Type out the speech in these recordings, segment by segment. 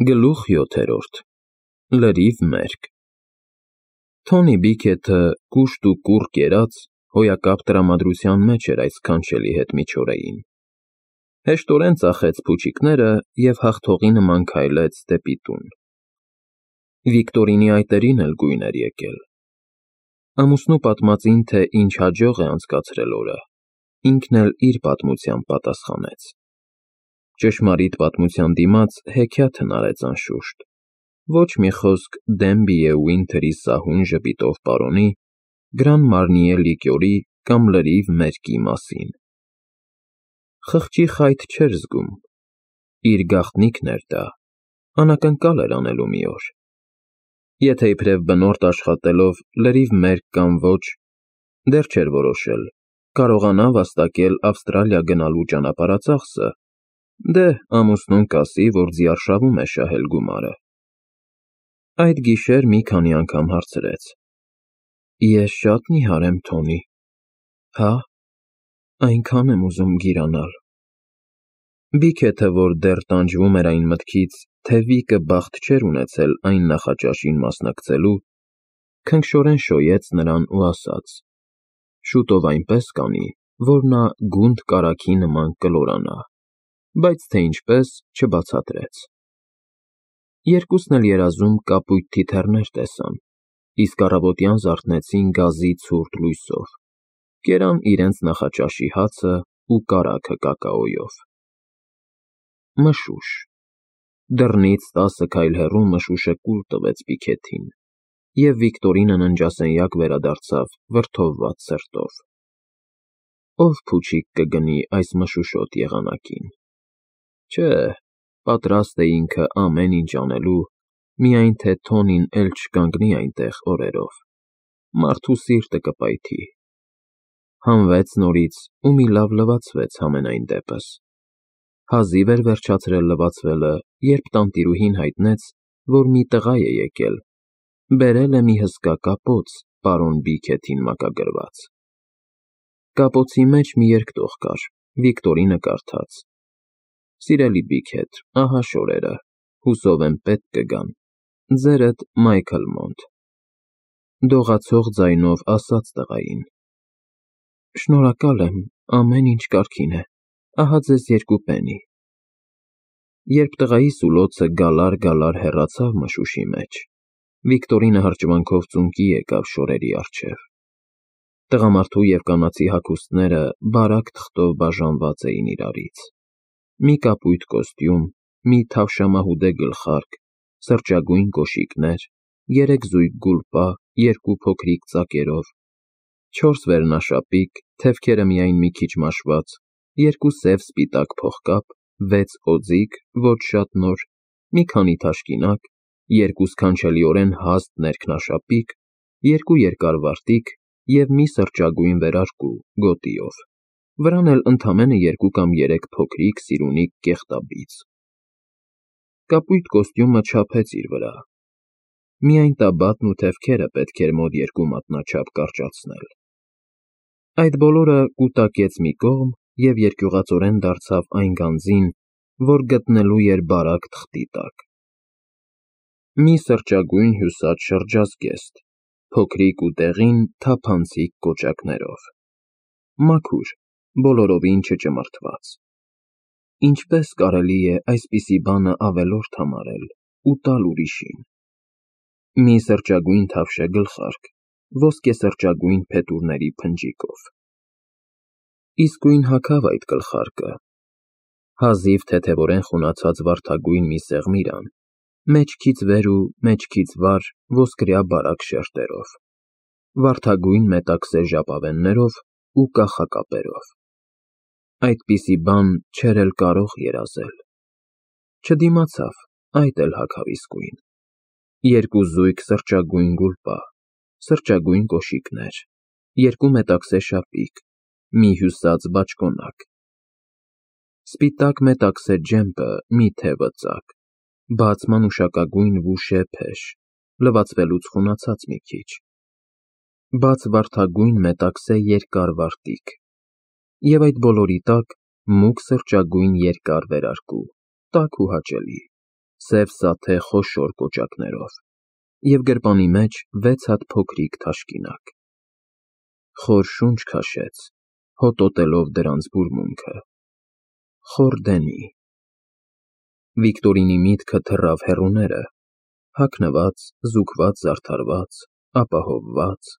Գլուխ 7. Լրիվ մերկ Թոնի Բիքեթը կուշտ ու կուռ կերած հոյակապ տրամադրության մեջ էր այդ սքանչելի հետմիջօրեին։ Հեշտորեն ծախեց փուչիկները և հաղթողի նման քայլեց դեպի տուն։ Վիկտորինի այտերին էլ գույն էր եկել։ Ամուսնու պատմածին, թե ինչ հաջող է անցկացրել օրը, ինքն էլ իր պատմությամբ պատասխանեց։ Ճշմարիտ պատմության դիմաց հեքիաթ հնարեց անշուշտ, ոչ մի խոսք Դենբիե Ուինթերի սահուն ժպիտով պարոնի, Գրան Մարնիե լիկյորի կամ լրիվ մերկի մասին։ Խղճի խայթ չէր զգում, իր գաղտնիքն էր դա, անակնկալ էր անելու մի օր։ Եթե իբրև բնորդ աշխատելով լրիվ մերկ կամ ոչ, դեռ չէր որոշել, կարողանա վաստակել Ավստրալիա գնալու ճանապարհածախսը, դե ամուսնուն կասի, որ ձիարշավում է շահել գումարը։ Այդ գիշեր մի քանի անգամ հարցրեց. Ես շատ նիհար եմ, Թոնի։ Հա, այնքան եմ ուզում գիրանալ։ Բիքեթը, որ դեռ տանջվում էր այն մտքից, թե Վիկը բախտ չէր ունեցել այն նախաճաշին մասնակցելու, քնքշորեն շոյեց նրան ու ասաց. շուտով այնպես կանի, որ նա գունդ կարագի նման կլորանա, բայց թե ինչպես չբացատրեց։ Երկուսն էլ երազում կապույտ թիթեռներ տեսան, իսկ առավոտյան զարթնեցին գազի ցուրտ լույսով, կերան իրենց նախաճաշի հացը ու կարագը կակաոյով։ Մշուշ։ Դռնից 10 քայլ հեռու մշուշը կուլ տվեց Բիքեթին, և Վիկտորինը ննջասենյակ վերադարձավ վրդովված սրտով։ Ով փուչիկ կգնի այս մշուշոտ եղանակին։ Չէ, պատրաստ է ինքը ամեն ինչ անելու, միայն թե Թոնին էլ չկանգնի այնտեղ օրերով, մարդու սիրտը կպայթի։ Հանվեց նորից ու մի լավ լվացվեց համենայն դեպս։ Հազիվ էր վերջացրել լվացվելը, երբ տանտիրուհին հայտնեց, որ մի տղա է եկել, բերել է մի հսկա կապոց պարոն Բիքեթին մակագրված։ Կապոցի մեջ մի երկտող կար, Վիկտորինը կարդաց. Սիրելի Բիքեթ, ահա շորերը, հուսով եմ պետք կգան, ձերդ Մայքլ Մոնդ։ Դողացող ձայնով ասաց տղային. Շնորհակալ եմ, ամեն ինչ կարգին է, ահա ձեզ 2 պենի։ Երբ տղայի սուլոցը գալար հեռացավ մշուշի մեջ, Վիկտորինը հրճվանքով ծունկի եկավ շորերի առջև։ Տղամարդու և կանացի հագուստները բարակ թղթով բաժանված էին իրարից։ Մի կապույտ կոստյում, մի թավշամահուդե գլխարկ, սրճագույն կոշիկներ, 3 զույգ գուլպա, 2 փոքրիկ ծակերով, 4 վերնաշապիկ, թևքերը միայն մի քիչ մաշված, 2 սև սպիտակ փողկապ, 6 օձիք, ոչ շատ նոր, մի քանի թաշկինակ, 2 սքանչելիորեն հաստ ներքնաշապիկ, 2 երկար վարտիք և մի սրճագույն վերարկու գոտիով, վրան էլ ընդամենը 2 կամ 3 փոքրիկ սիրունիկ կեղտաբիծ։ Կապույտ կոստյումը չափեց իր վրա։ Միայն տաբատն ու թևքերը պետք էր մոտ 2 մատնաչափ կարճացնել։ Այդ բոլորը կուտակեց մի կողմ և երկյուղածորեն դարձավ այն գանձին, որ գտնելու էր բարակ թղթի տակ։ Մի սրճագույն հյուսած շրջազգեստ, փոքրիկ ու դեղին թափանցիկ կոճակներով։ Մաքուր, բոլորովին չճմրթված։ Ինչպես կարելի է այսպիսի բանը ավելորդ համարել ու տալ ուրիշին։ Մի սրճագույն թավշե գլխարկ, ոսկեսրճագույն փետուրների փնջիկով։ Իսկույն հագավ այդ գլխարկը։ Հազիվ թեթևորեն խունացած վարդագույն մի սեղմիրան, մեջքից վեր ու մեջքից վար ոսկրյա բարակ շերտերով, վարդագույն մետաքսե ժապավեններով ու կախակապերով։ Այդպիսի բան չէր էլ կարող երազել։ Չդիմացավ, այդ էլ հագավ իսկույն։ 2 զույգ սրճագույն գուլպա, սրճագույն կոշիկներ, 2 մետաքսե շապիկ, մի հյուսած բաճկոնակ։ Սպիտակ մետաքսե ջեմպը մի թևը ծակ, բաց մանուշակագույն վուշե փեշ, լվացվելուց խունացած մի քիչ։ Բաց վարդագույն մետաքսե երկար վարտիք։ Եվ այդ բոլորի տակ մուգ սրճագույն երկար վերարկու, տաք ու հաճելի, սև սաթե խոշոր կոճակներով, և գրպանի մեջ 6 հատ փոքրիկ թաշկինակ։ Խոր շունչ քաշեց, հոտոտելով դրանց բուրմունքը։ Խոր Դենի։ Վիկտորինի միտքը թռավ հեռուները, հագնված, զուգված, զարդարված, ապահովված,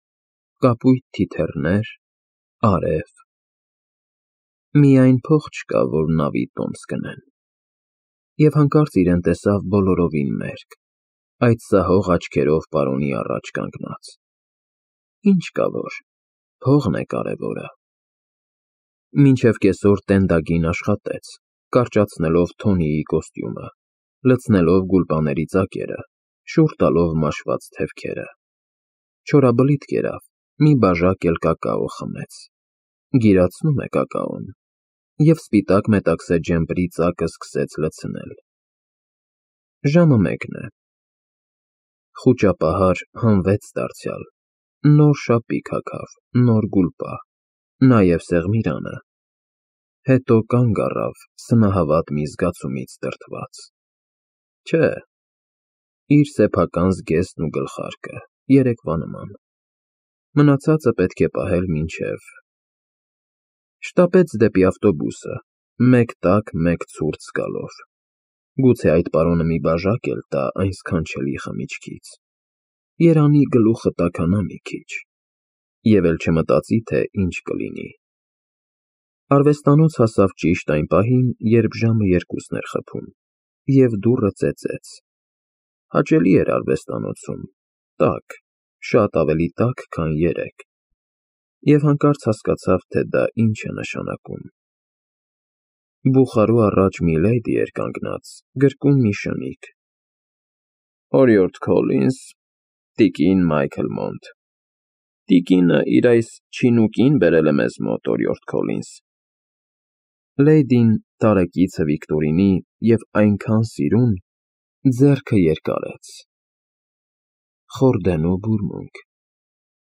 կապույտ թիթեռներ, արև։ Միայն փող չկա, որ նավի տոմս գնեն։ Եվ հանկարծ իրեն տեսավ բոլորովին մերկ, այդ սահող աչքերով պարոնի առաջ կանգնած։ Ինչ կա որ, փողն է կարևորը։ Մինչև կեսօր տենդագին աշխատեց, կարճացնելով Թոնիի կոստյումը, լցնելով գուլպաների ծակերը, շուռ տալով մաշված թևքերը։ Չորաբլիթ կերավ, մի բաժակ էլ կակաո խմեց։ Գիրացնում է կակաոն։ Եվ սպիտակ մետաքսե ջեմպրի ծակը սկսեց լցնել։ Ժամը 1 է։ Խուճապահար հանվեց դարձյալ, նոր շապիկ հագավ, նոր գուլպա, նաև սեղմիրանը։ Հետո կանգ առավ սնահավատ մի զգացումից դրդված։ Չէ, իր սեփական զգեստն ու գլխարկը, երեկվա նման։ Մնացածը պետք է պահել մինչև… Շտապեց դեպի ավտոբուսը, մեկ տաք, մեկ ցուրտ զգալով։ Գուցե այդ պարոնը մի բաժակ էլ տա այն սքանչելի խմիչքից։ Երանի գլուխը տաքանա մի քիչ։ Եվ էլ չմտածի, թե ինչ կլինի։ Արվեստանոց հասավ ճիշտ այն պահին, երբ ժամը 2-ն էր խփում, և դուռը ծեծեց։ Հաճելի էր արվեստանոցում, տաք, շատ ավելի տաք, քան երեկ։ Եվ հանկարծ հասկացավ, թե դա ինչ է նշանակում։ Բուխարու առաջ մի լեյդի էր կանգնած, գրկում մի շնիկ։ Օրիորդ Քոլինս, տիկին Մայքլ Մոնտ։ Տիկինը իր այս չինուկին բերել է մեզ մոտ, օրիորդ Քոլինս։ Լեյդին, տարեկիցը Վիկտորինի և այնքան սիրուն, ձեռքը երկարեց։ Խորդենու բուրմունք։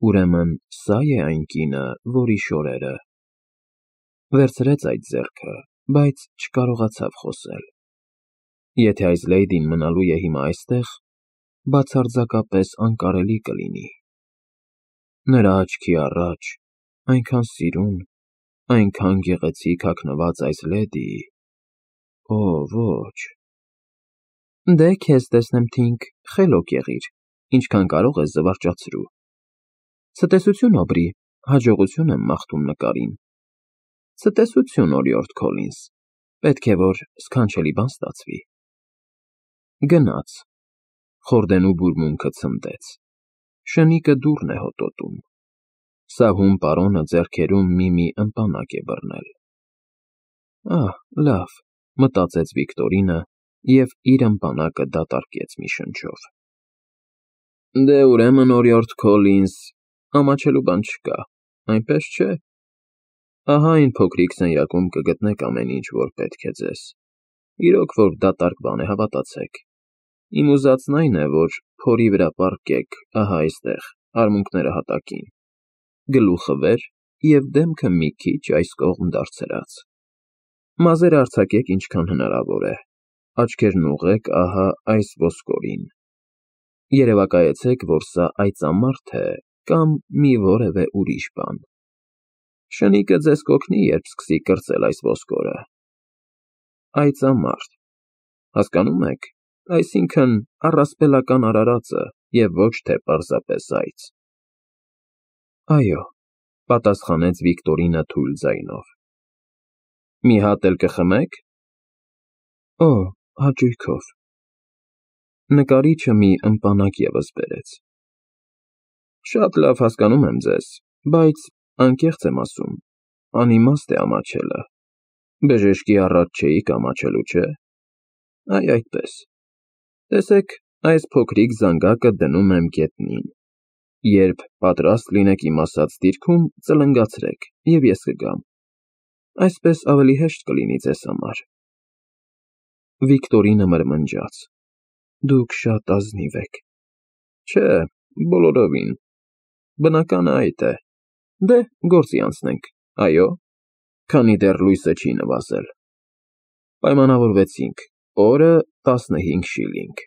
Ուրեմն սա է այն կինը, որի շորերը… Վերցրեց այդ ձեռքը, բայց չկարողացավ խոսել։ Եթե այս լեյդին մնալու է հիմա այստեղ, բացարձակապես անկարելի կլինի։ Նրա աչքի առաջ, այնքան սիրուն, այնքան գեղեցիկ հագնված այս լեդիի… Օ, ոչ… Դե քեզ տեսնեմ, Թինք, խելոք եղիր, ինչքան կարող ես զվարճացրու։ Ցտեսություն ապրի, հաջողություն եմ մաղթում նկարին։ Ցտեսություն, օրիորդ Քոլինս, պետք է որ սքանչելի բան ստացվի։ Գնաց։ Խորդենու բուրմունքը ցնդեց։ Շնիկը դուռն է հոտոտում։ Սահուն պարոնը ձեռքերում մի ըմպանակ է բռնել։ Ահ, լավ, մտածեց Վիկտորինը և իր ըմպանակը դատարկեց մի շնչով։ Դե ուրեմն, օրիորդ Քոլինս, ամաչելու բան չկա, այնպես չէ։ Ահա այն փոքրիկ սենյակում կգտնեք ամեն ինչ, որ պետք է ձեզ։ Իրոք որ դատարկ բան է, հավատացեք։ Իմ ուզածն այն է, որ փորի վրա պառկեք, ահա այստեղ, արմունկները հատակին, գլուխը վեր և դեմքը մի քիչ այս կողմ դարձրած։ Մազերը արձակեք ինչքան հնարավոր է, աչքերն ուղղեք ահա այս ոսկորին։ Երևակայեցեք, որ սա այծամարդ է կամ մի որևէ ուրիշ բան։ Շնիկը ձեզ կօգնի, երբ սկսի կրծել այս ոսկորը։ Այծամարդ, հասկանո՞ւմ եք, այսինքն առասպելական արարածը և ոչ թե պարզապես այծ։ Այո, պատասխանեց Վիկտորինը թույլ ձայնով։ Մի հատ էլ կխմեք։ Օ, հաճույքով։ Նկարիչը մի ըմպանակ ևս բերեց։ Շատ լավ հասկանում եմ ձեզ, բայց անկեղծ եմ ասում, անիմաստ է ամաչելը։ Բժշկի առաջ չէիք ամաչելու, չէ՞։ Այ այդպես։ Տեսեք, այս փոքրիկ զանգակը դնում եմ գետնին։ Երբ պատրաստ լինեք իմ ասած դիրքում, ծլնգացրեք, և ես կգամ։ Այսպես ավելի հեշտ կլինի ձեզ համար։ Վիկտորինը մրմնջաց։ Դուք շատ ազնիվ եք։ Չէ, բոլորովին։ Բնականը այդ է։ Դե, գործի անցնենք, այո, քանի դեռ լույսը չի նվազել։ Պայմանավորվեցինք, օրը 15 շիլինգ։